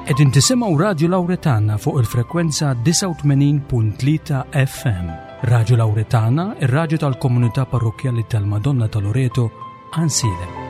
Qegħdin tisimgħu Radju Lawretana fuq il-frekwenza 89.3 FM. Radju Lawretana, ir-radju tal-komunità parrokkjali tal-Madonna ta' Loreto, Għansielem.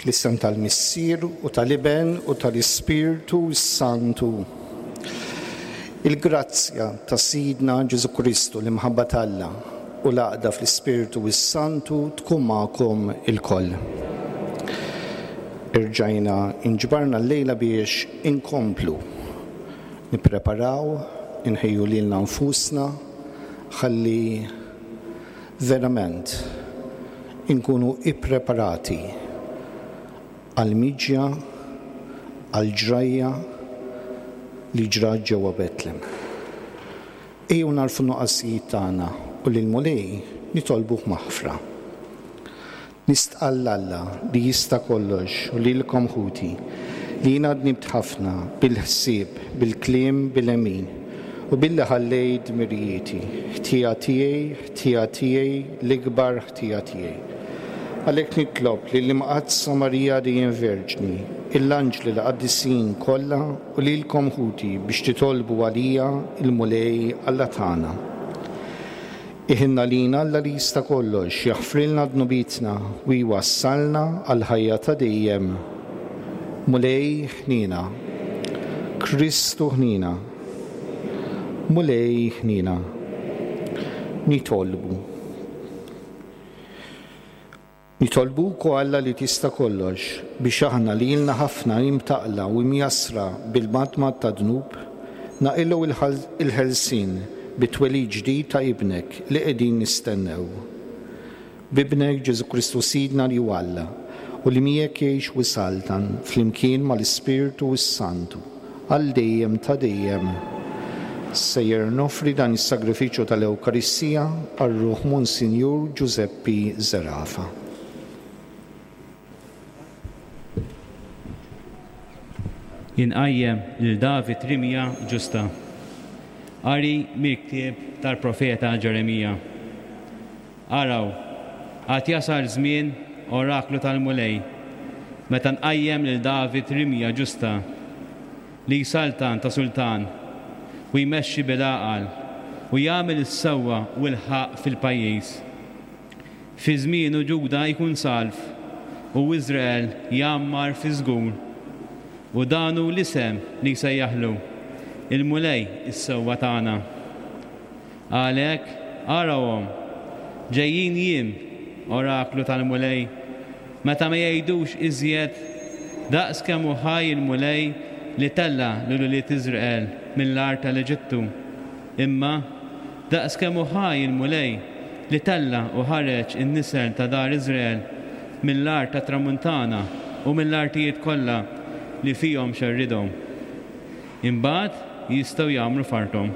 Fl-isem tal-Missier u tal-Iben u tal-Ispirtu s-Santu. Il-grazzja ta' Sidna Ġesù Kristu, l-imħabba t'Alla u l-għaqda fl-Ispirtu s-Santu tkun magħkom ilkoll. Irġajna inġbarna llejla biex inkomplu nippreparaw, inħejju lilna nfusna ħalli verament inkunu ippreparati għall-miġja, għall-ġrajja li ġrat ġewwa Betlem. Ejjew nagħrfu n-nuqqasijiet tagħna u lill-Mulej nitolbuh maħfra. Nistqarr 'l Alla li jista' kollox u lilkom ħuti, li jiena dnibt ħafna bil-ħsieb, bil-kliem, bil-għemil, u billi ħallejt dmirijieti. Ħtija tiegħi, ħtija tiegħi, l-ikbar ħtija tiegħi. Għalhekk nitlob lill-Imqaddsa Marija dejjem Verġni, il-anġli l-qaddisin kollha u lilkom ħuti biex titolbu għalija l-Mulej Alla tagħna. Iħinn għalina Alla li jista' kollox, jaħfrilna dnubietna u jwassalna għall-ħajja ta' dejjem. Mulej ħniena. Kristu ħniena. Mulej ħniena. Nitolbu. Nitolbuk, o Alla li tista' kollox, biex aħna li ilna ħafna imtaqqla u imjassra bil-madmad tad-dnub, naqilgħu l-ħelsien bit-twelid ġdid ta' Ibnek li qegħdin nistennew. B'Ibnek Ġesù Kristu Sidna li hu Alla, u li miegħek jgħix u jsaltan flimkien mal-Ispirtu s-Santu, għal dejjem ta' dejjem. Sejjer noffri dan is-sagrifiċċju tal-Ewkaristija għal ruħ Monsinjur Ġużeppi Zerafa. Inqajjem lil David rimja ġusta. Qari mill-ktieb tal-profeta Ġeremija. Araw, għad jasal żmien, oraklu tal-Mulej, meta nqajjem lil David rimja ġusta, li jsaltan ta' sultan, u jmexxi bil-għaqal, u jagħmel is-sewwa u l-ħaqq fil-pajjiż. Fi żmienu Ġuda jkun salv, u Iżrael jgħammar fiż-żgur. U dan hu l-isem li jsejjaħlu, Il-Mulej is-sewwa tagħna. Għalhekk, arawhom, ġejjin jiem, oraklu tal-Mulej, meta ma jgħidux iżjed, Daqs kemm hu ħaj il-Mulej li tella' lil ulied Iżrael mill-art tal-Eġittu, imma, Daqs kemm hu ħaj il-Mulej, li tella' u ħareġ in-nisel ta' dar Iżrael mill-art tat-tramuntana u mill-artijiet kollha li fihom xerridhom. Imbagħad jistgħu jgħammru f'arthom.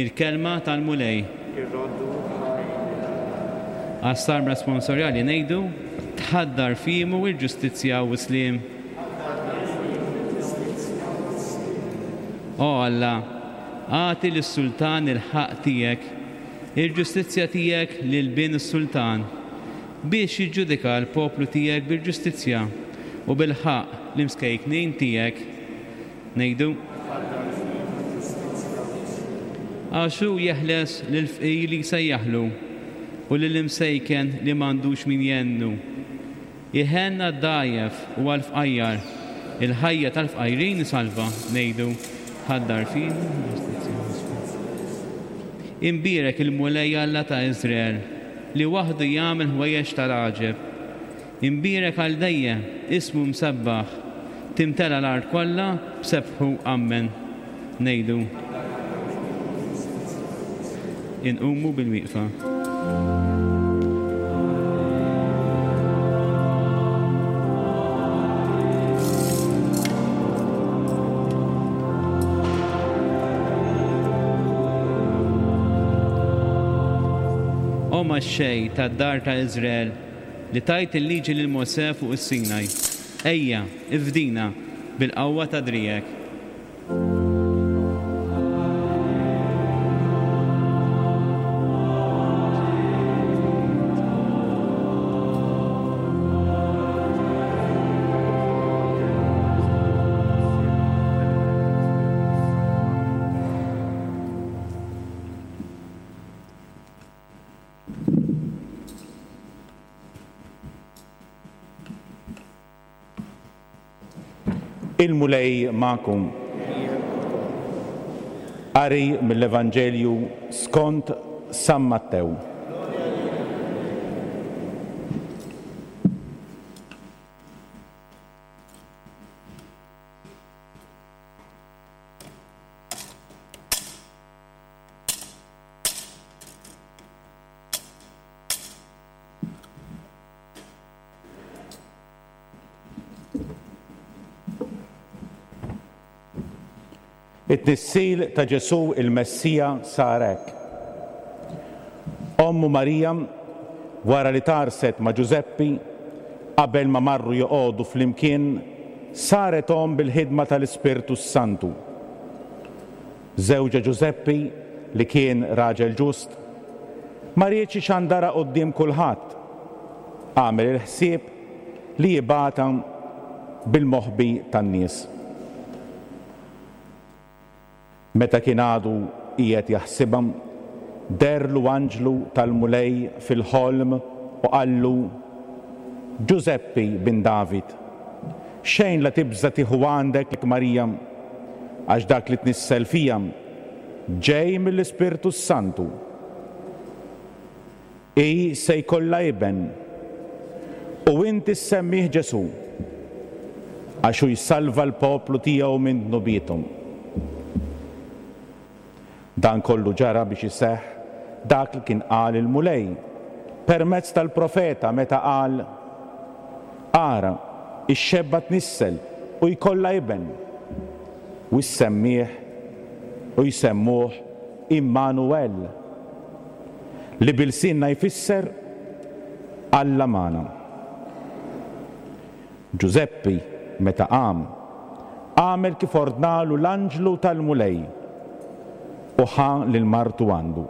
Il-Kelma tal-Mulej. Irroddu ħajr lil Alla. Għas-Salm Responsorjali ngħidu, Tħaddar fiemu l-ġustizzja u s-sliem. Tħaddar fiemu l-ġustizzja u s-sliem. O Alla, agħti lis-sultan il-ħaqq tiegħek, il-ġustizzja tiegħek lil bin is-sultan, biex jiġġudika l-poplu tiegħek bil-ġustizzja u bil-ħaqq l-imskejknin tiegħek. Ngħidu. Tħaddar fiemu l-ġustizzja u s-sliem. Għax hu jeħles lill-fqir li jsejjaħlu, u lill-imsejken li m'għandux min jgħennu. Iħenn għad-dgħajjef u għall-fqajjar, il-ħajja tal-fqajrin isalva, ngħidu, Ħaddar fina l-ġustizzja u s-sliem. Imbierek il-Mulej Alla ta' Iżrael, li waħdu jagħmel ħwejjeġ tal-għaġeb. Imbierek għal dejjem, ismu msebbaħ, timtela l-art kollha b'sebħu. Ammen. Ngħidu. Inqumu bilwieqfa. O Mexxej tad-dar ta' Iżrael, li tajt il-liġi lil Mosè fuq is-Sinaj, ejja, ifdina bil-qawwa ta' driegħek. Il-Mulej magħkom. Qari mill-Evanġelju skont San Mattew. It-tnissil ta' Ġesù il-Messija sar hekk. Ommu Marija, wara li tgħarrset ma' Ġużeppi, qabel ma marru joqogħdu flimkien, saret omm bil-ħidma tal-Ispirtu s-Santu. Żewġha Ġużeppi, li kien raġel ġust, ma riedx ixandarha quddiem kulħadd. Għamel il-ħsieb li jibgħatha bil-moħbi tan-nies. Meta kien għadu qiegħed jaħsibha, deherlu anġlu tal-Mulej fil-ħolm u qallu, Ġużeppi, bin David, xejn la tibża' tieħu għandek Marija, għax dak li tnissel fiha ġej mill-Ispirtu s-Santu. Hi se jkollha iben, u inti ssemmih Ġesù, għax hu jsalva l-poplu tiegħu minn dnubiethom. Dan kollu ġara biex iseħħ dak li kien qal il-Mulej permezz tal-profeta meta qal, Ara, ix-xebba tnissel u jkollha iben, u ssemmih. u jsemmuh Immanuel, li bi lsienna jfisser Alla magħna. Ġużeppi, meta qam, għamel kif ordnalu l-anġlu tal-Mulej u ħa lil martu għandu.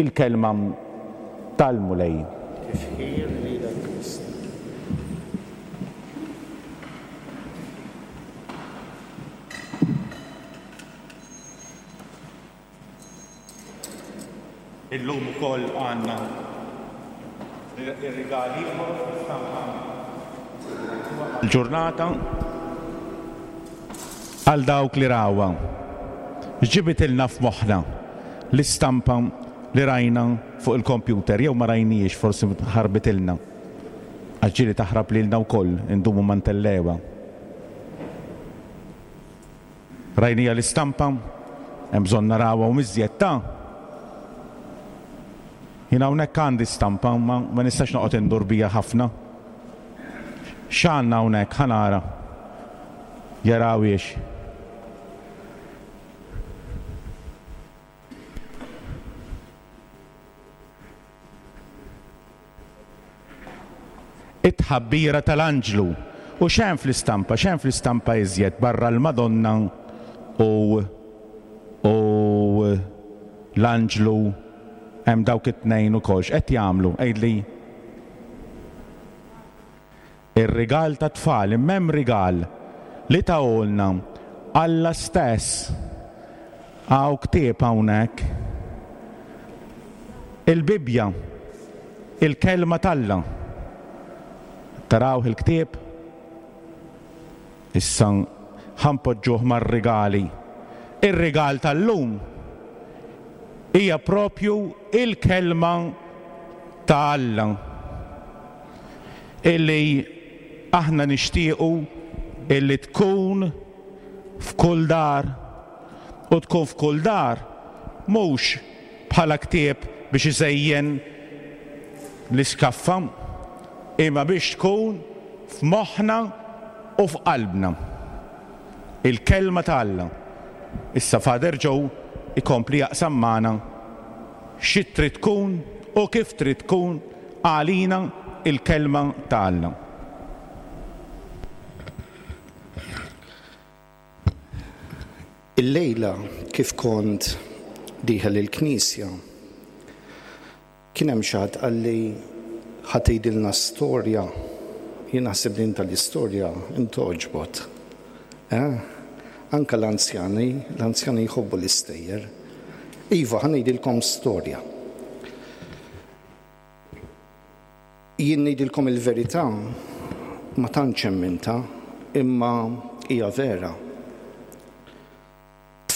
Il-Kelma tal-Mulej. Tifħir lilek Kristu. Illum ukoll għandna ir-rigal ieħor fl-istampa l-ġurnata għal dawk li rawha. X'ġibitilna f'moħħna l-istampa li rajna fuq il-kompjuter jew ma rajnihiex forsi ħarbitilna. Għax ġieli taħrab lilna wkoll indumu ma ntellgħuha. Rajniha l-istampa? Hemm bżonn narawha u iżjed ta'. Jien hawnhekk għandi stampa imma ma nistax noqgħod indur biha ħafna. X'għandna hawnhekk? Ħa nara. Jarawhiex. It-tħabbira tal-anġlu. U x'hemm fl-istampa? X'hemm fl-istampa iżjed barra l-Madonna u u l-anġlu hemm dawk it-tnejn ukoll. X'qed jagħmlu? Għidli. Ir-rigal tat-tfal, imma hemm rigal li tahulna Alla stess. Hawn ktieb hawnhekk. Il-Bibbja, il-Kelma t'Alla. Tarawh il-ktieb? Issa ħa npoġġuh mar-rigali. Ir-rigal tal-lum hija propju il-Kelma ta' Alla illi aħna nixtiequ illi tkun f'kull dar u tkun f'kull dar mhux bħala ktieb biex iżejjen l-iskaffa imma biex tkun f'moħħna u f'qalbna. Il-Kelma ta' Alla. Issa Father Joe ikompli jaqsam magħna xi trid tkun u kif trid tkun għalina l-Kelma ta' Alla. Illejla kif kont dieħel il-knisja, kien hemm xi ħadd qalli ħa tgħidilna storja. Jien naħseb din tal-istorja intgħoġbot. Eh? Anke l-anzjani, l-anzjani jħobbu l-istejjer. Iva, ħa ngħidilkom storja. Jien ngħidilkom il-verità, ma tantx emmintha, imma hija vera.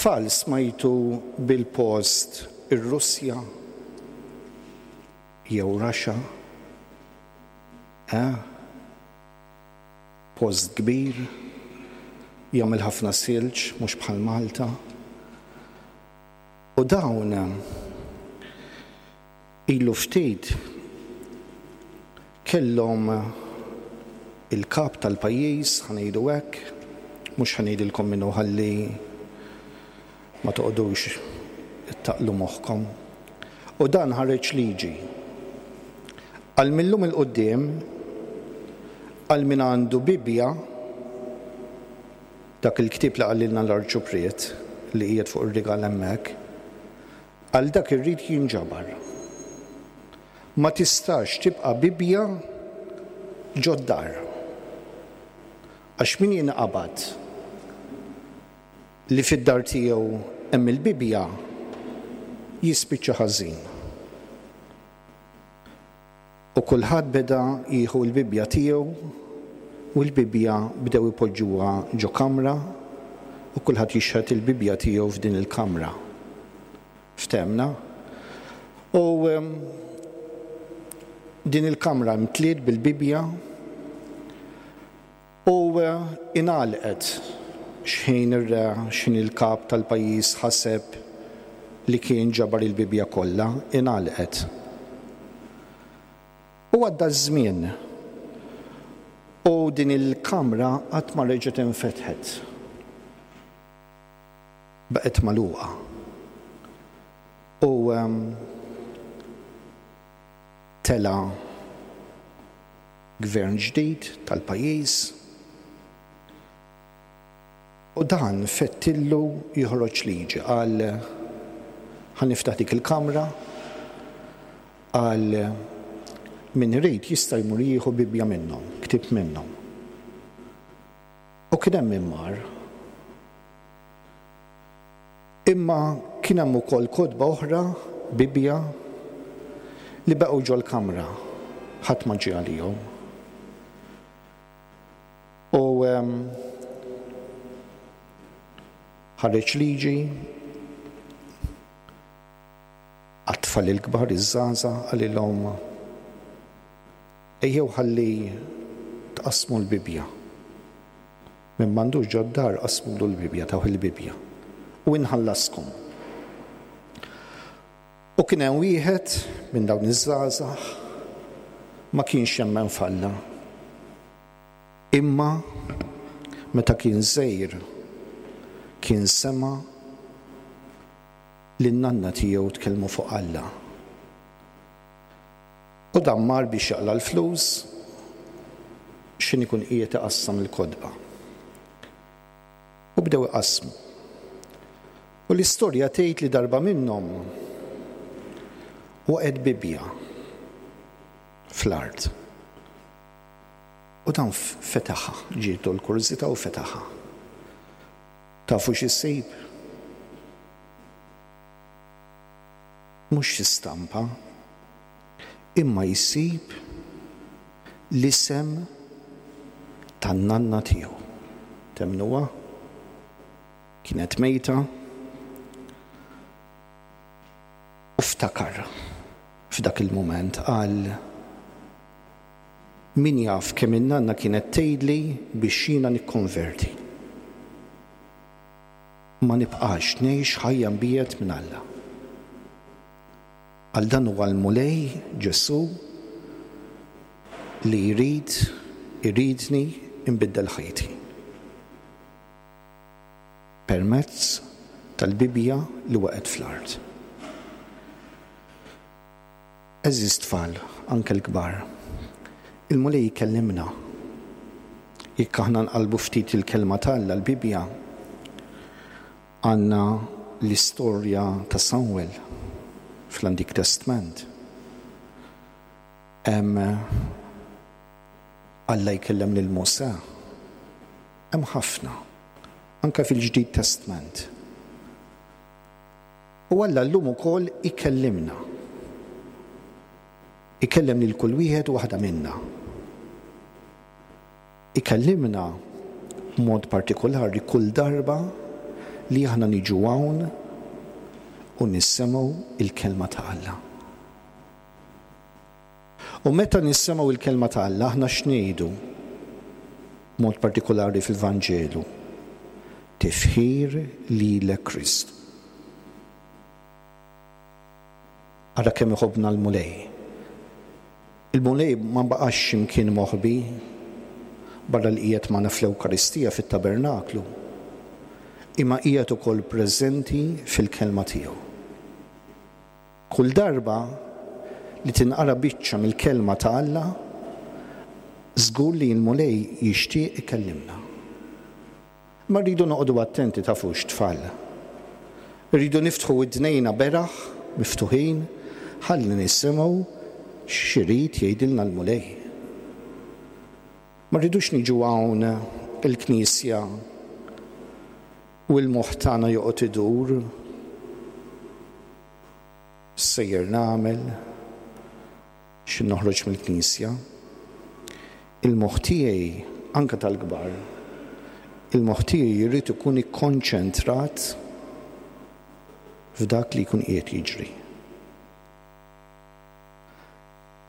Tfal smajtu bil-post ir-Russja jew Russia? Eh? Post kbir, jagħmel ħafna silġ, mhux bħal Malta. U dawn Ilu ftit kellhom il-kap tal-pajjiż, ħa ngħidu hekk, mhux ħa ngħidilkom min hu ħalli ma toqgħodux ittaqqlu moħħkom. U dan ħareġ liġi. Għal mil-lum 'il quddiem, għal min għandu Bibbja, dak il-ktieb li qalilna l-Arċupriet li qiegħed fuq ir-rigal hemmhekk, Għal dak irrid jinġabar. Ma tistax tibqa' Bibbja ġod-dar. Għax min jinqabad li fid-dar tiegħu hemm il-Bibbja jispiċċa ħażin. U kulħadd beda jieħu l-Bibbja tiegħu u l-Bibbja bdew ipoġġuha ġo kamra u kulħadd jixħet il-Bibbja tiegħu f'din il-kamra. Ftehmna? U din il-kamra mtliet bil-Bibbja U ingħalqet x'ħin ir-re, x'ħin il-kap tal-pajjiż ħaseb li kien ġabar il-Bibbja kollha, ingħalqet. U għadda ż-żmien, u din il-kamra qatt ma reġgħet infetħet. Baqgħet magħluqa. U tela' gvern ġdid tal-pajjiż u dan fettillu joħroġ liġi qal ħa niftaħ dik il-kamra qal min irid jista' jmur jieħu Bibbja minnhom, ktieb minnhom. U kien hemm min mar. Imma kien hemm ukoll kotba oħra, Bibbja, li baqgħu ġol-kamra, ħadd ma ġie għalihom. U ħareġ liġi għat-tfal il-kbar, iż-żgħażagħ, qalilhom ejjew ħalli tqassmu l-Bibbja. Min m'għandux ġod-dar qassmulu l-Bibbja, tawh il-Bibbja. U inħallaskom. U kien hemm wieħed minn dawn iż-żgħażagħ ma kienx jemmen f'Alla. Imma meta kien żgħir kien sema' lin-nanna tiegħu tkellmu fuq Alla. U dan mar biex jaqla' l-flus x'ħin ikun qiegħed iqassam il-kotba. U bdew iqassmu. U l-istorja tgħid li darba minnhom waqgħet Bibbja fl-art. U dan fetaħha, ġietu l-kurżità u fetaħha. Tafu x'issib? Mhux xi stampa, imma jsib l-isem tan-nanna tiegħu. Temmnuha? Kienet mejta u ftakar f'dak il-mument qal min jaf kemm in-nanna kienet tgħidli biex jiena nikkonverti. Ma nibqax ngħix ħajja mbiegħed minn Alla. Għal dan huwa l-Mulej Ġesù li jrid iridni nbiddel ħajti. Permezz tal-Bibbja li waqgħet fl-art. Għeżież tfal, anke l-kbar, il-Mulej jkellimna. Jekk aħna nqallbu ftit il-Kelma t'Alla, l-Bibbja, għandna l-istorja ta' Samwel fl-Antik Testment. Hemm Alla jkellem lil Mosè. Hemm ħafna, anke fil-Ġdid Testment. U Alla llum ukoll ikellimna. Ikellem lil kull wieħed u waħda minna. Ikellimna b'mod partikolari kull darba li aħna niġu hawn u nisimgħu l-Kelma ta' Alla. U meta nisimgħu l-Kelma ta' Alla aħna x'ngħidu? B'mod partikolari fil-Vanġelu, Tifħir lilek Kristu. Ara kemm iħobbna l-Mulej. Il-Mulej ma baqax xi mkien moħbi barra li qiegħed magħna fl-Ewkaristija fit-Tabernaklu, imma qiegħed ukoll preżenti fil-Kelma tiegħu. Kull darba li tinqara biċċa mill-Kelma ta' Alla, żgur li l-Mulej jixtieq ikellimna. Imma rridu noqogħdu attenti tafux tfal. Irridu niftħu widnejna beraħ, miftuħin, ħalli nisimgħu x'irid jgħidilna l-Mulej. Ma rridux niġu hawn il-knisja u l-moħħ tagħna joqgħod idur. X'sejjer nagħmel? X'ħin noħroġ mill-knisja? Il-moħħ tiegħi, anke tal-kbar, il-moħħ tiegħi jrid ikun ikkonċentrat f'dak li jkun qiegħed jiġri.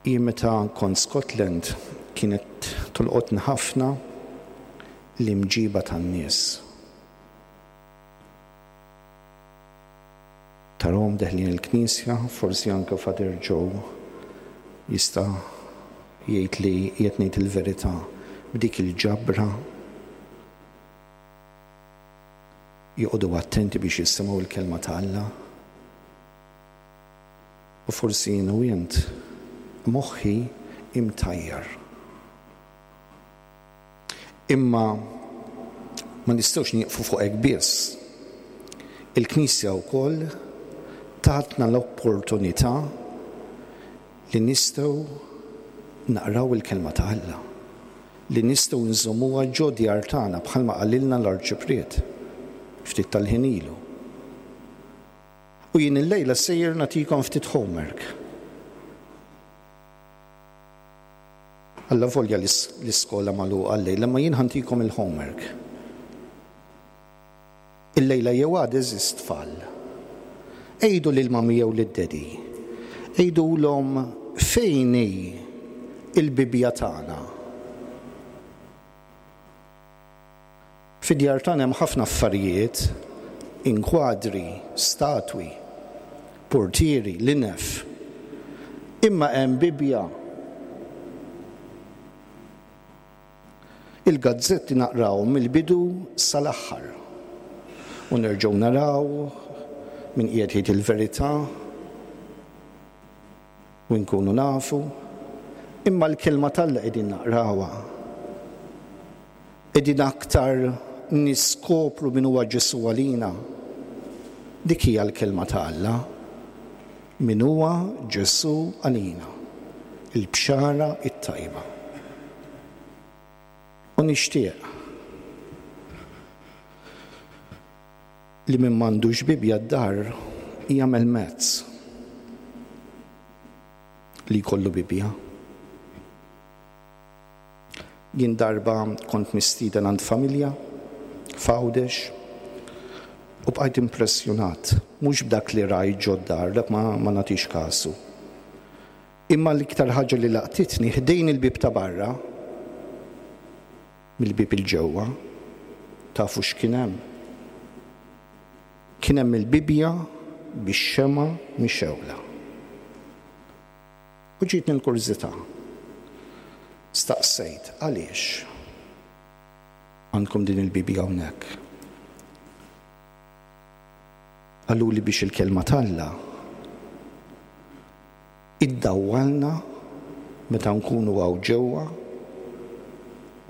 Jien meta kont Scotland kienet tolqotni ħafna l-imġiba tan-nies. Tarahom deħlin il-knisja, forsi anke Father Joe jista' jgħid li qiegħed ngħid il-verità, b'dik il-ġabra. Joqogħdu attenti biex jisimgħu l-Kelma ta' Alla. U forsi jien u int moħħi imtajjar. Imma ma nistgħux nieqfu fuq hekk biss. Il-Knisja wkoll tatna l-opportunità li nistgħu naqraw il-Kelma ta' Alla, li nistgħu nżommuha ġo djar tagħna bħalma qalilna l-Arċipriet ftit tal-ħin ilu. U jien illejla sejjer nagħtikom ftit homework. Allavolja l-iskola magħluqa llejla, imma jien ħa ntikom il-homework. Illejla jew għada għeżież tfal. Għidu lill-mummy jew lid-daddy. Għidulhom fejn hi l-Bibbja tagħna. Fid-djar tagħna hemm ħafna affarijiet, inkwadri, statwi, purtieri, linef. Imma hemm Bibbja. Il-gazzetti naqrawhom mill-bidu sal-aħħar. U nerġgħu naraw min qiegħed jgħid il-verità u nkunu nafu. Imma l-Kelma t'Alla qegħdin naqrawha. Qegħdin aktar niskopru min huwa Ġesù għalina. Dik hija l-Kelma ta' Alla. Min huwa Ġesù għalina. Il-bxara t-tajba. U nixtieq li min m'għandux Bibbja d-dar jagħmel mezz li jkollu Bibbja. Jien darba kont mistieden għand familja f'Għawdex u bqajt impressjonat, mhux b'dak li rajt ġod-dar, dak ma, ma nagħtix kasu. Imma l-iktar ħaġa li laqtitni ħdejn il-bieb ta' barra, mill-bieb 'il ġewwa, tafu x'kien hemm? Kien hemm il-Bibbja bix-xemgħa mixgħula. U ġietni l-kurżità. Staqsejt, Għaliex għandkom din il-Bibbja hawnhekk? Qaluli biex il-Kelma t'Alla iddawwalna meta nkunu hawn ġewwa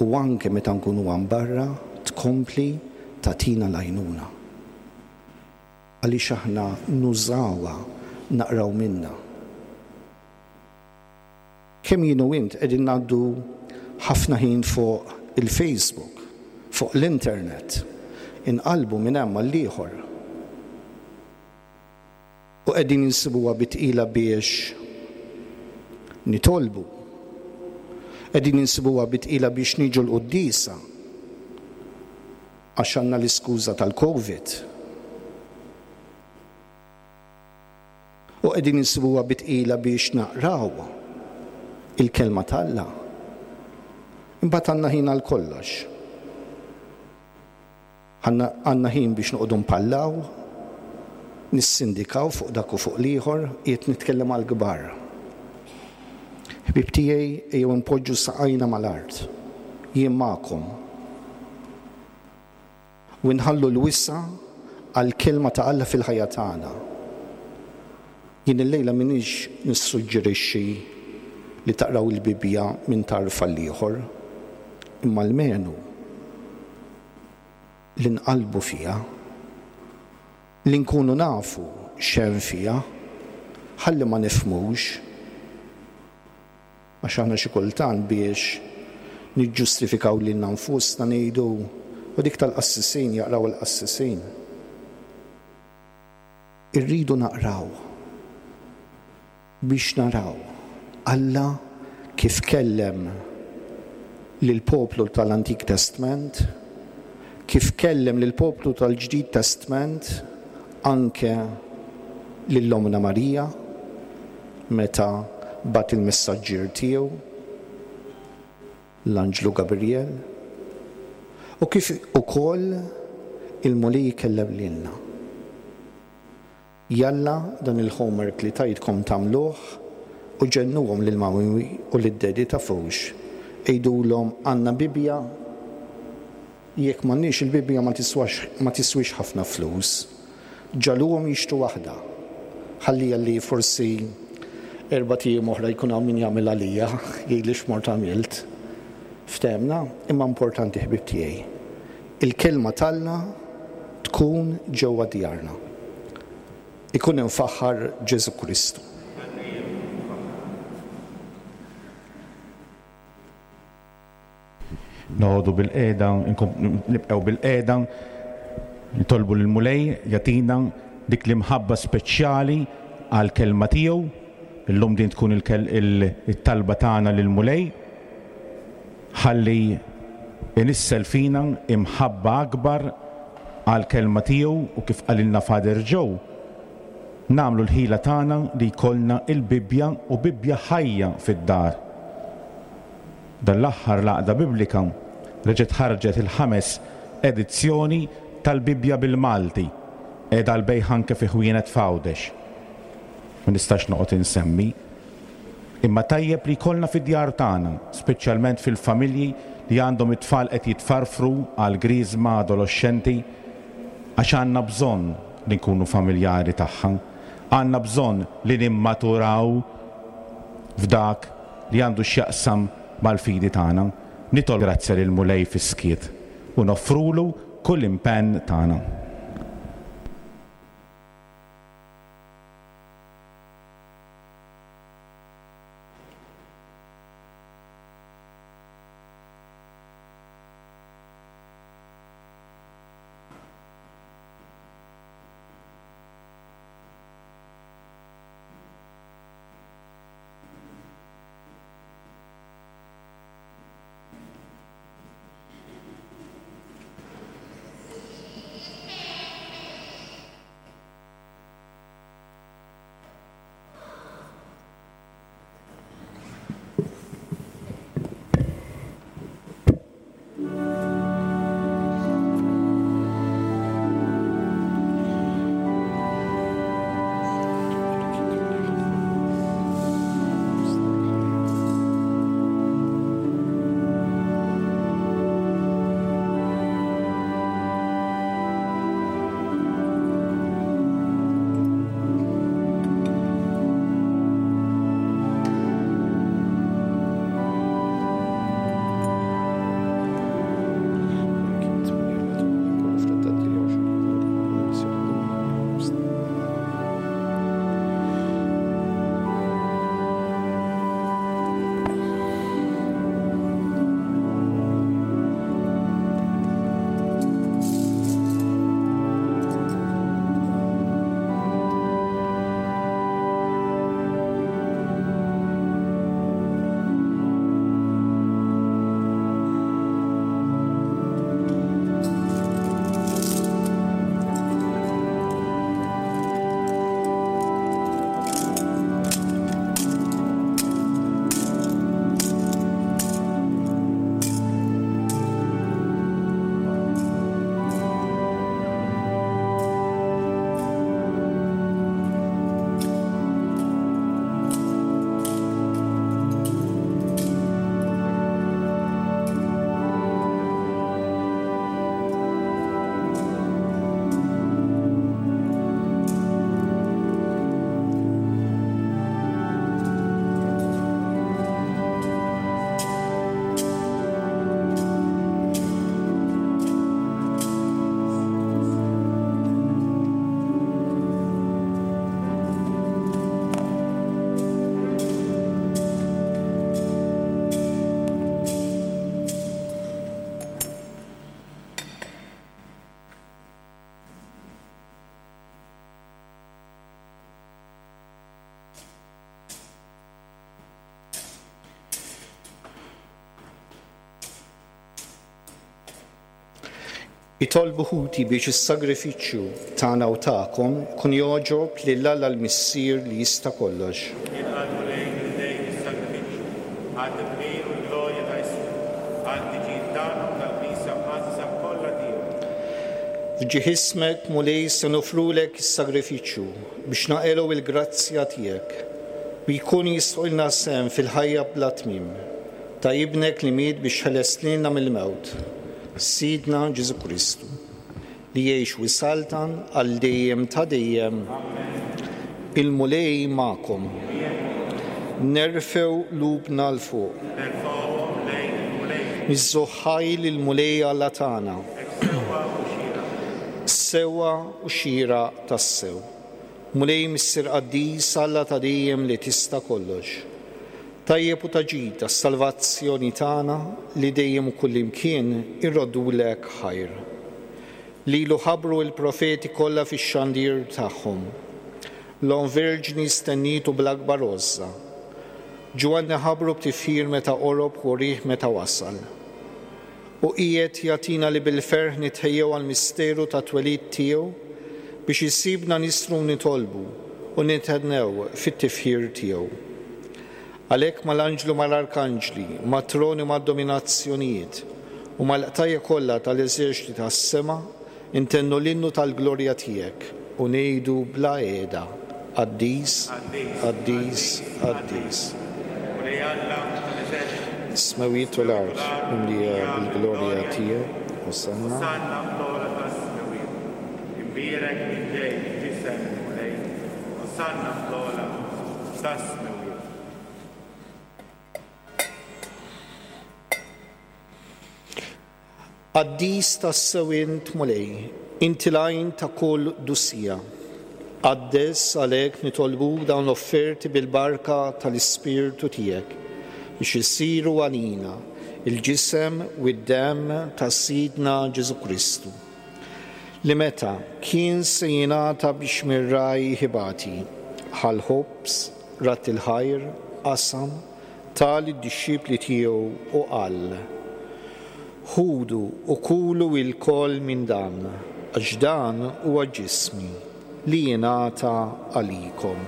u anke meta nkunu hawn barra tkompli tagħtina l-għajnuna. Għaliex aħna nużawha, naqraw minnha. Kemm jien u int qegħdin ngħaddu ħafna ħin fuq il-Facebook, fuq l-internet, inqallbu minn hemm għall-ieħor. U qegħdin insibuha bi tqila biex nitolbu. Qegħdin insibuha bi tqila biex niġu l-quddiesa. Għax għandna l-iskuża tal-Covid. U qegħdin insibuha bi tqila biex naqraw il-Kelma t'Alla. Imbagħad għandna ħin għal kollox. Għandna ħin biex noqogħdu npallaw, nissindikaw fuq dak u fuq l-ieħor, qiegħed nitkellem għall-kbar. Ħbieb tiegħi, ejjew inpoġġu saqajna mal-art. Jien magħkom. U nħallu l-wisa' għall-Kelma ta' Alla fil-ħajja tagħna. Jien illejla m'iniex nissuġġerixxi li taqraw il-Bibbja minn tarf għall-ieħor, imma almenu li nqallbu fiha. Li nkunu nafu x'hemm fiha, ħalli ma nifhmux, għax aħna xi kultant biex niġġustifikaw lilna nfusna ngħidu, u dik tal-qassisin, jaqraw il-qassisin. Irridu naqraw biex naraw Alla kif kellem lill-poplu tal-Antik Testment, kif kellem lill-poplu tal-Ġdid Testment, anke lil Ommna Marija meta bagħat il-messaġġier tiegħu, l-Anġlu Gabriel, u kif ukoll il-Mulej ikellem lilna. Jalla dan il-homework li tajtkom tagħmluh u ġennuhom lil mummy u lid-daddy tafux għidulhom għandna Bibbja? Jekk m'għandniex il-Bibbja ma tiswax ma tiswix ħafna flus. Ġagħluhom jixtru waħda. Ħalliha li forsi erbat ijiem oħra jkun hawn min jagħmel għalija, jgħidli x'mort għamilt. Ftehemna? Imma importanti ħbieb tiegħi. Il-Kelma t'Alla tkun ġewwa djarna. Ikun imfaħħar Ġesù Kristu. Noqogħdu bilqiegħda, nibqgħu bilqiegħda, nitolbu lill-Mulej jagħtina dik l-imħabba speċjali għall-kelma tiegħu. Illum din tkun it-talba tagħna lill-Mulej ħalli inissel fina imħabba akbar għall-kelma tiegħu u kif qalilna Father Joe, nagħmlu l-ħila tagħna li jkollna l-Bibbja u Bibbja ħajja fid-dar. Dan l-aħħar l-Għaqda Biblika reġgħet ħarġet il-ħames edizzjoni tal-Bibbja bil-Malti, qiegħda għall-bejgħ anke fi ħwienet f'Għawdex. Ma nistax noqgħod insemmi. Imma tajjeb li jkollna fid-djar tagħna, speċjalment fil-familji li għandhom it-tfal qed jitfarfru għall-griżma adoloxxenti, għax għandna bżonn li nkunu familjari tagħha. Għandna bżonn li nimmaturaw f'dak li għandu x'jaqsam mal-fidi tagħna. Nitolbu grazzja lill-Mulej fis-skiet u noffrulu kull impenn tagħna. Itolbu ħuti biex is-sagrifiċċju tagħna u tagħkom ikun jogħġob lil Alla l-Missier li jista' kollox. Jilqa' l-Mulej f'idejk is-sagrifiċċju, għat-tifħir u l-glorja ta' ismu, għall-ħtiġijiet tagħna u tal-Knisja mqaddsa kollha tiegħu. F'ġieħ ismek, Mulej, se noffrulek is-sagrifiċċju biex naqilgħu l-grazzja tiegħek, u jkun jistħoqilna sehem fil-ħajja bla tmiem ta' Ibnek li miet biex ħeles lilna mill-mewt. Sidna Ġesù Kristu, li jgħix u jsaltan għal dejjem ta' dejjem. Il-Mulej magħkom. Nerfgħu qlubna 'l fuq. Nerfgħuhom lejn il-Mulej. Niżżu ħaj lill-Mulej Alla tagħna. Hekk sewwa u xieraq. Sewwa u xieraq tassew. Mulej Missier Qaddis, Alla ta' dejjem li tista' kollox. Tajjeb u ta' ġid għas-salvazzjoni tagħna li dejjem u kullimkien irroddulek ħajr. Lilu ħabbru l-profeti kollha fix-xandir tagħhom. L-Omm Verġni stennietu bl-akbar għożża. Ġwanni ħabbru b'tifħir meta qorob u wrieh meta wasal. U qiegħed jagħtina li bil-ferħ nitħejjew għall-misteru tat-twelid tiegħu biex isibna nistru u nitolbu u nithennew fit-tifħir tiegħu. Għalhekk mal-anġli u mal-arkanġli, mat-troni u mad-dominazzjonijiet, u mal-qtajja kollha tal-eżerċti tas-sema ntennu l-innu tal-glorja tiegħek u ngħidu bla qiegħda, Qaddis, qaddis, qaddis. Mulej Alla tal-eżerċti. Is-smewwiet u l-art mimlija bil-glorja tiegħek. Osanna. Osanna fl-ogħla tas-smewwiet. Imbierek min ġej f'isem il-Mulej. Osanna fl-ogħla tas-smewwiet. Qaddis tassew int, Mulej, inti l-għajn ta' kull qdusija. Qaddes għalhekk nitolbuk dawn l-offerti bil-barka tal-Ispirtu tiegħek, biex isiru għalina l-ġisem u d-demm ta' Sidna Ġesù Kristu, li meta kien se jingħata biex mir-ragħaj ibati, ħa l-ħobż, radd il-ħajr, qasam, Ta lid-dixxipli tiegħu u qal, Ħudu u kulu ilkoll minn dan, għax dan huwa ġismi, li jingħata għalikom.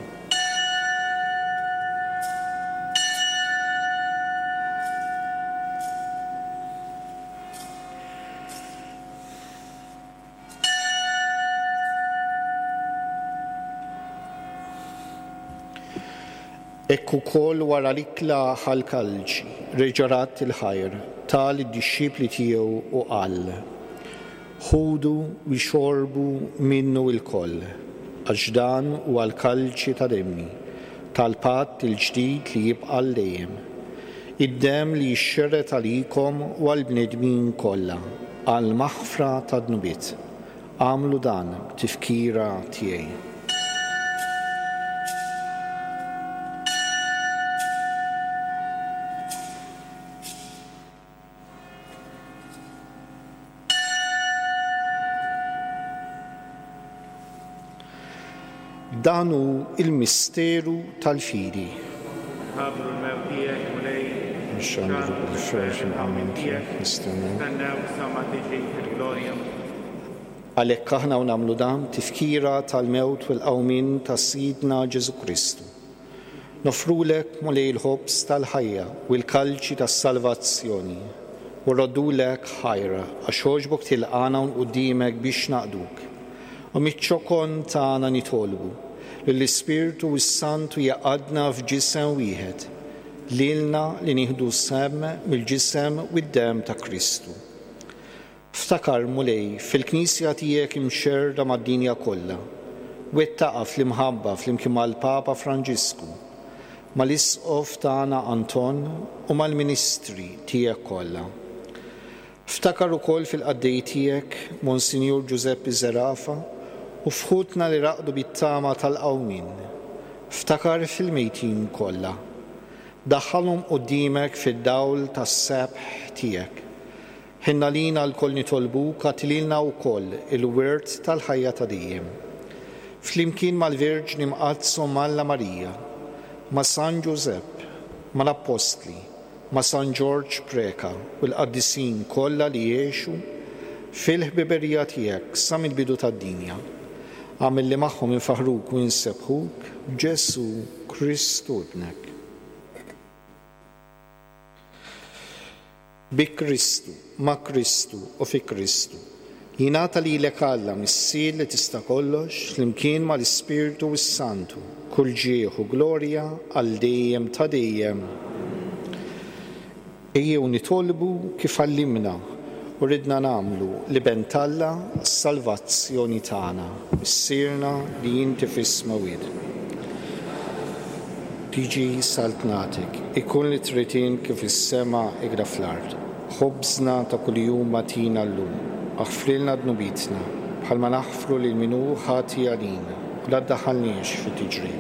Hekk ukoll wara l-ikla ħa l-kalċi, reġa' radd il-ħajr, ta lid-dixxipli tiegħu u qal, Ħudu u xorbu minnu ilkoll, għax dan huwa l-kalċi ta' demmi, tal-patt il-ġdid li jibqa' għal dejjem, id-demm li jixxerred għalikom u għall-bnedmin kollha, għall-maħfra tad-dnubiet. Agħmlu dan b'tifkira tiegħi. Dan hu l-misteru tal-fidi. Nħabbru l-mewt tiegħek, Mulej, Nxandru bil-ferħ il-qawmien tiegħek, nistennew. Nistennew sa ma tiġi fil-glorja. Għalhekk aħna u nagħmlu dan b'tifkira tal-mewt u l-qawmien ta' Sidna Ġesù Kristu. Noffrulek, Mulej, il-ħobż tal-ħajja u l-kalċi tas-salvazzjoni, u rroddulek ħajr għax għoġbok tilqagħna hawn quddiemek biex naqduk. U miċ-ċokon tagħna nitolbu li l-Ispirtu s-Santu jgħaqqadna f'ġisem wieħed, lilna li nieħdu sehem mill-ġisem u d-demm ta' Kristu. Ftakar, Mulej, fil-Knisja tiegħek imxerrda mad-dinja kollha. Wettaqha fl-imħabba flimkien mal-Papa Franġisku, mal-Isqof tagħna Anton u mal-ministri tiegħek kollha. Ftakar ukoll fil-qaddej tiegħek, Monsinjur Ġużeppi Zerafa, u f'ħutna li raqdu bit-tama tal-qawmien. Ftakar fil-mejtin kollha. Daħħalhom quddiemek fid-dawl tas-sebħ tiegħek. Ħenn għalina lkoll nitolbuk agħti lilna wkoll il-wirt tal-ħajja ta' dejjem. Flimkien mal-Verġni Mqaddsa Omm Alla Marija, ma' San Ġużepp, mal-Appostli, ma' San Ġorġ Preca u l-qaddisin kollha li għexu fil-ħbiberija tiegħek sa mill-bidu tad-dinja, agħmel li magħhom infaħħruk u insebbħuk b'Ġesù Kristu Ibnek. Bi Kristu, ma' Kristu u fi Kristu, jingħata lilek Alla, Missier li tista' kollox, flimkien mal-Ispirtu s-Santu, kull ġieħ u glorja għal dejjem ta' dejjem. Ejjew nitolbu kif għallimna. U ridna nagħmlu l-Iben t'Alla s-salvazzjoni tagħna. Missierna li inti fis-smewwiet. Tiġi saltnatek, ikun li trid int kif fis-sema ikda fl-art. Ħobżna ta' kuljum agħtina llum. Aħfrilna dnubietna, bħalma naħfru lil min hu ħati għalina, u la ddaħħalniex fi tiġrib.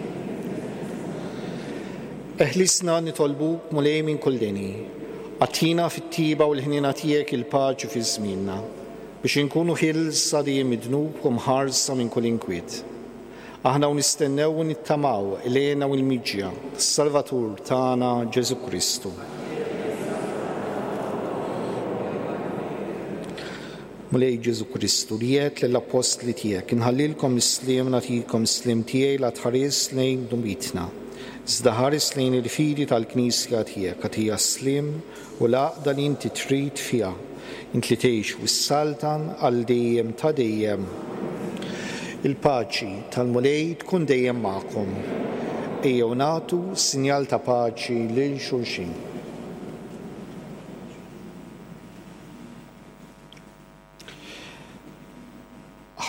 Eħlisna nitolbuk, Mulej, minn kull deni. Agħtina fit-tjieba u l-ħniena tiegħek il-paċi fi żmienna, biex inkunu ħielsa dejjem mid-dnub u mħarsa minn kull inkwiet. Aħna u nistennew u nittamaw l-hena u l-miġja tas-Salvatur tagħna Ġesù Kristu. Mulej Ġesù Kristu, li għedt lill-appostli tiegħek, Inħallilkom is-sliem, nagħtikom is-sliem tiegħi, la tħares lejn dnubietna, iżda ħares lejn il-fidi tal-Knisja tiegħek, agħtiha s-sliem u l-għaqda li inti trid fiha, int li tgħix u ssaltan għal dejjem ta' dejjem. Il-paċi tal-Mulej tkun dejjem magħkom. Ejjew nagħtu sinjal ta' paċi lil xulxin.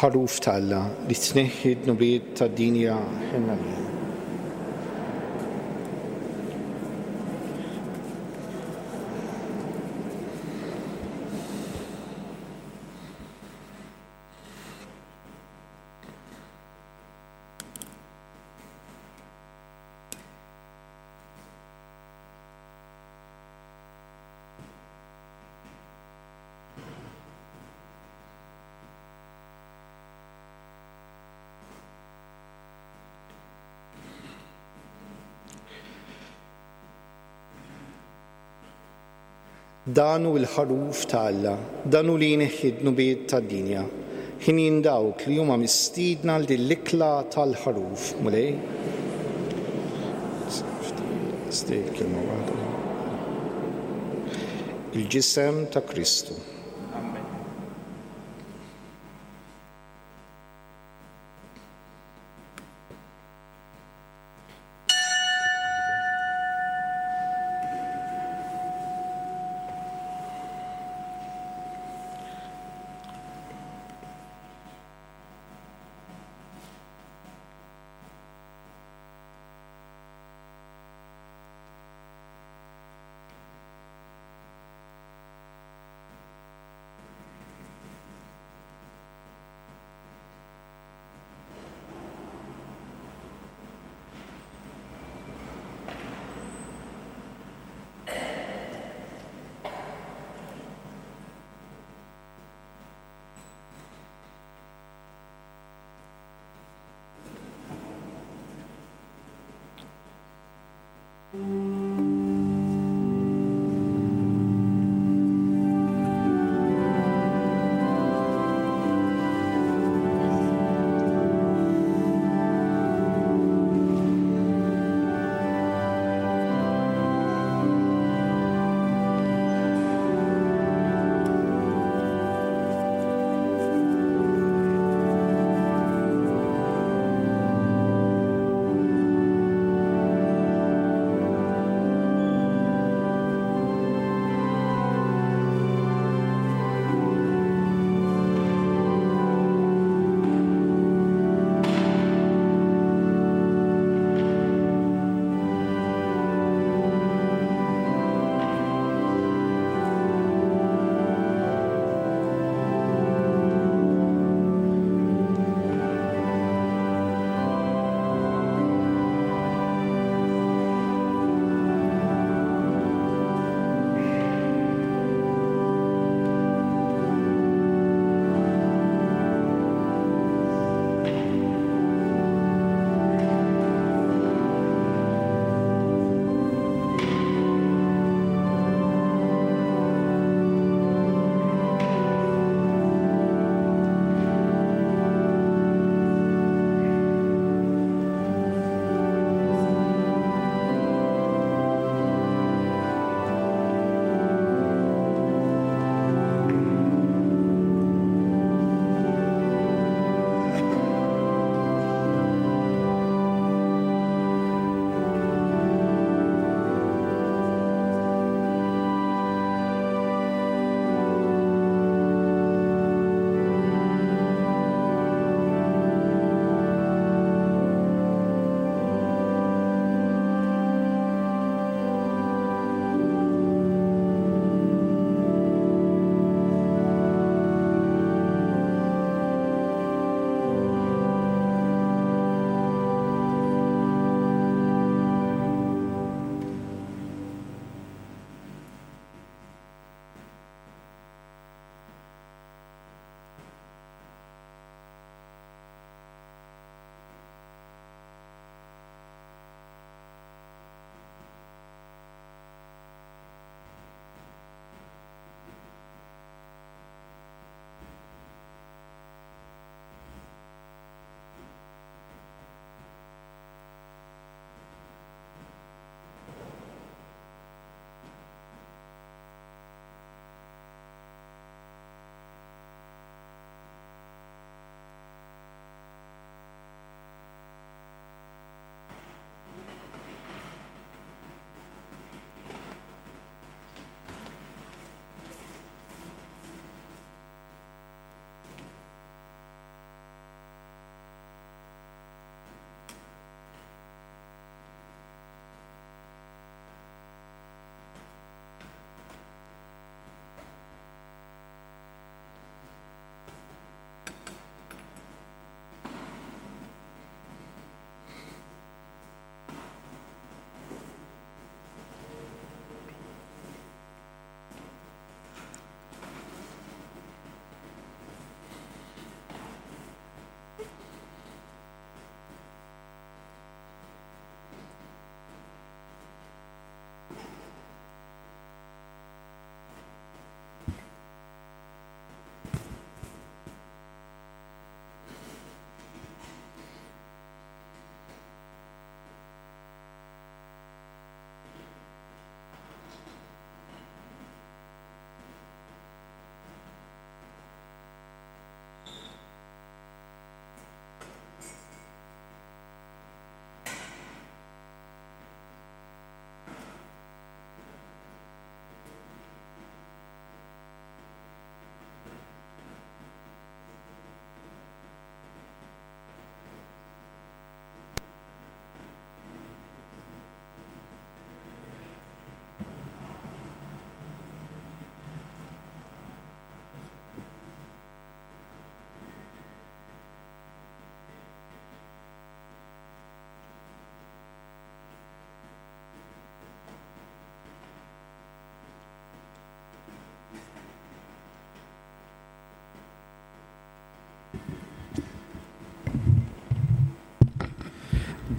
Ħaruf t'Alla li tneħħi d-dnubiet tad-dinja ħenn għalina. Dan hu l-Ħaruf ta' Alla, dan hu li jneħħi d-dnubiet tad-dinja. Ħinjin dawk li huma mistiedna għal din l-ikla tal-Ħaruf, Mulej. Il-ġisem ta' Kristu.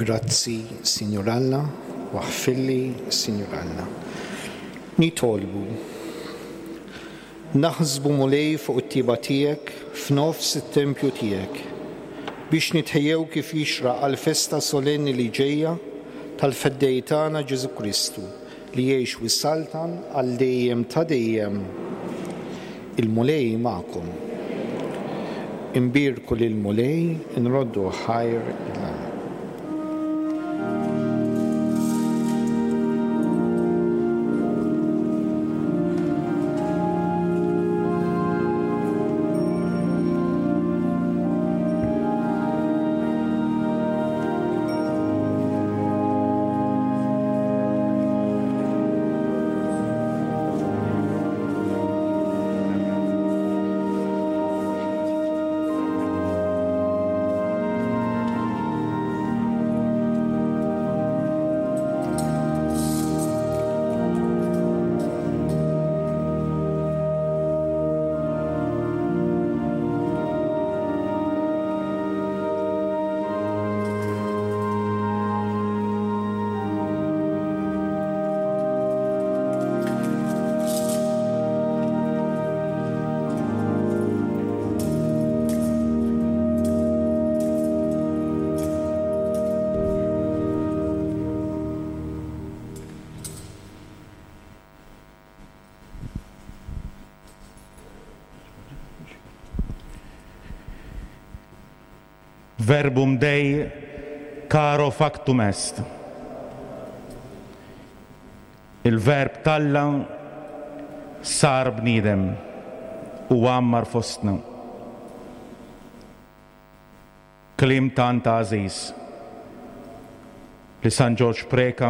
Grazzi, Sinjur Alla, u aħfirli, Sinjur Alla. Nitolbu. Naħsbu Mulej fuq it-tjieba tiegħek f'nofs it-tempju tiegħek, biex nitħejjew kif jixraq għall-festa solenni li ġejja tal-Feddej tagħna Ġesù Kristu, li jgħix u jsaltan għal dejjem ta' dejjem. Il-Mulej magħkom. Inbierku lill-Mulej, inroddu ħajr lil Alla. Verbum Dei caro factum est. Il-Verb t'Alla sar bniedem u għammar fostna. Kliem tant għażiż li San Ġorġ Preca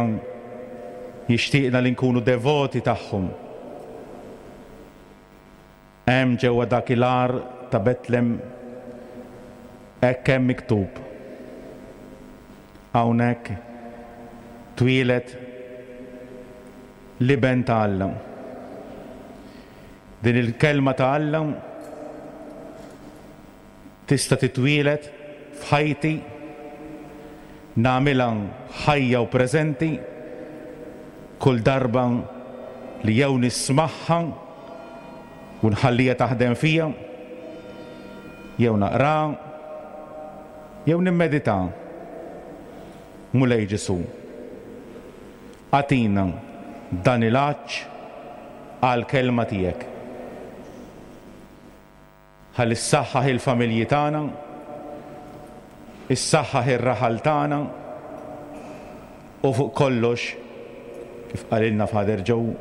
jixtieqna li nkunu devoti tagħhom. Hemm ġewwa dak il-għar ta' Betlem hekk hemm miktub, Hawnhekk twieled l-Iben ta' Alla. Din il-Kelma ta' Alla tista' titwieled f'ħajti, nagħmilha ħajja u preżenti kull darba li jew nismagħha u nħalliha taħdem fija, jew naqraha, jew nimmeditaha. Mulej Ġesù, agħtina dan il-għatx għall-Kelma tiegħek. Ħalli ssaħħaħ il-familji tagħna, issaħħaħ ir-raħal tagħna u fuq kollox, kif qalilna Father Joe,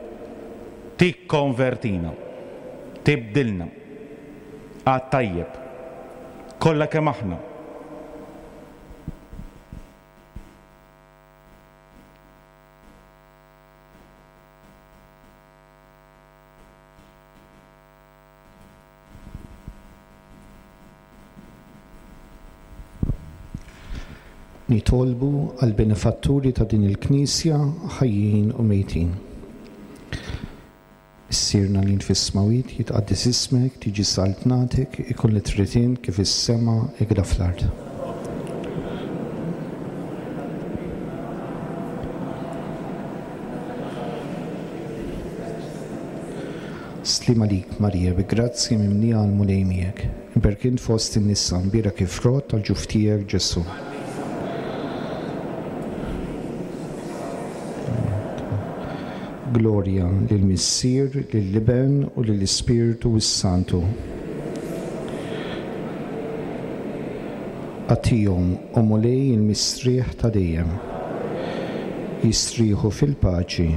tikkonvertina, tibdilna għat-tajjeb, kollha kemm aħna. Nitolbu għall-benefatturi ta' din il-Knisja, ħajjin u mejtin. Missierna li int fis-smawit, jitqaddes ismek, tiġi saltnatek, ikun li trid int kif fis-sema hekk fl-art. Sliem għalik, Marija, bi grazzja mimlija l-Mulej miegħek. Imberk int fost in-nisa, mbierek il-frott tal-ġuf tiegħek, Ġesù. Glorja lill-Missier, lill-Iben u lill-Ispirtu s-Santu. Agħtihom, o Mulej, il-mistrieħ ta' dejjem. Jistrieħu fil-paċi.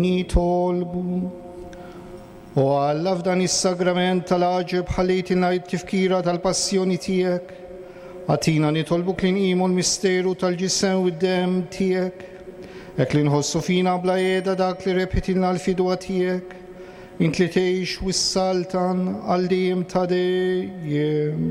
Nitolbu. O Alla, f'dan is-sagrament tal-għaġeb ħallejtilna t-tifkira tal-passjoni tiegħek. Agħtina nitolbuk li nqimu l-misteru tal-ġisem u d-demm tiegħek, hekk li nħossu fina bla qiegħda dak li rebħitilna l-fidwa tiegħek, int li tgħix u ssaltan għal dejjem ta' dejjem.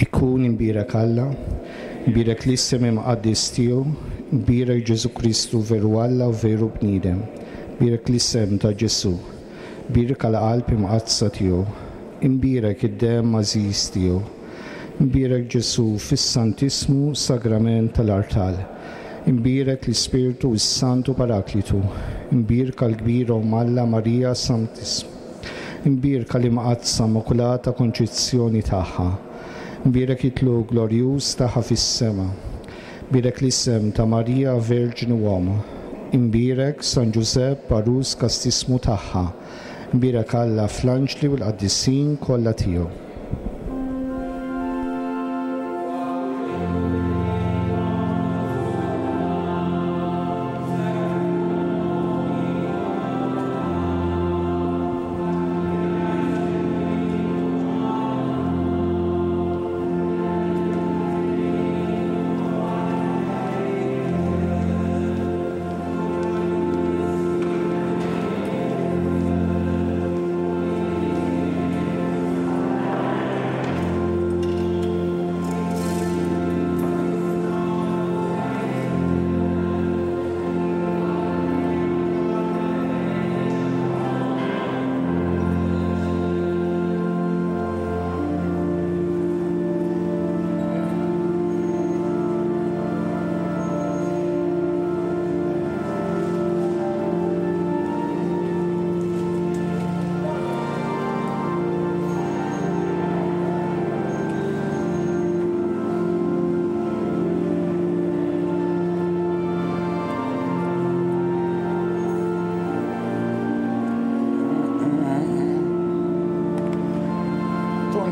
Ikun imbierek Alla, imbierek l-isem imqaddis tiegħu, imbierek Ġesù Kristu veru Alla u veru bniedem, imbierek l-isem ta' Ġesù, bierka l-qalb imqaddsa tiegħu, imbierek id-demm għażiż tiegħu, imbierek Ġesù fis-Santissmu Sagrament tal-Artal, imbierek l-Ispirtu s-Santu Paraklitu, imbierka l-kbira Omm Alla Marija Santissma. Imbierka l-Imqaddsa Immakulata Konċizzjoni tagħha. Imbierek it-tlugħ glorjuż tagħha fis-sema. Bierek l-isem ta' Marija Verġni u Omm. Imbierek San Ġużepp għarus kastissmu tagħha. Imbierek Alla fl-anġli u l-qaddisin kollha tiegħu.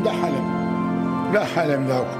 Daħħalem. Daħħalem dawk.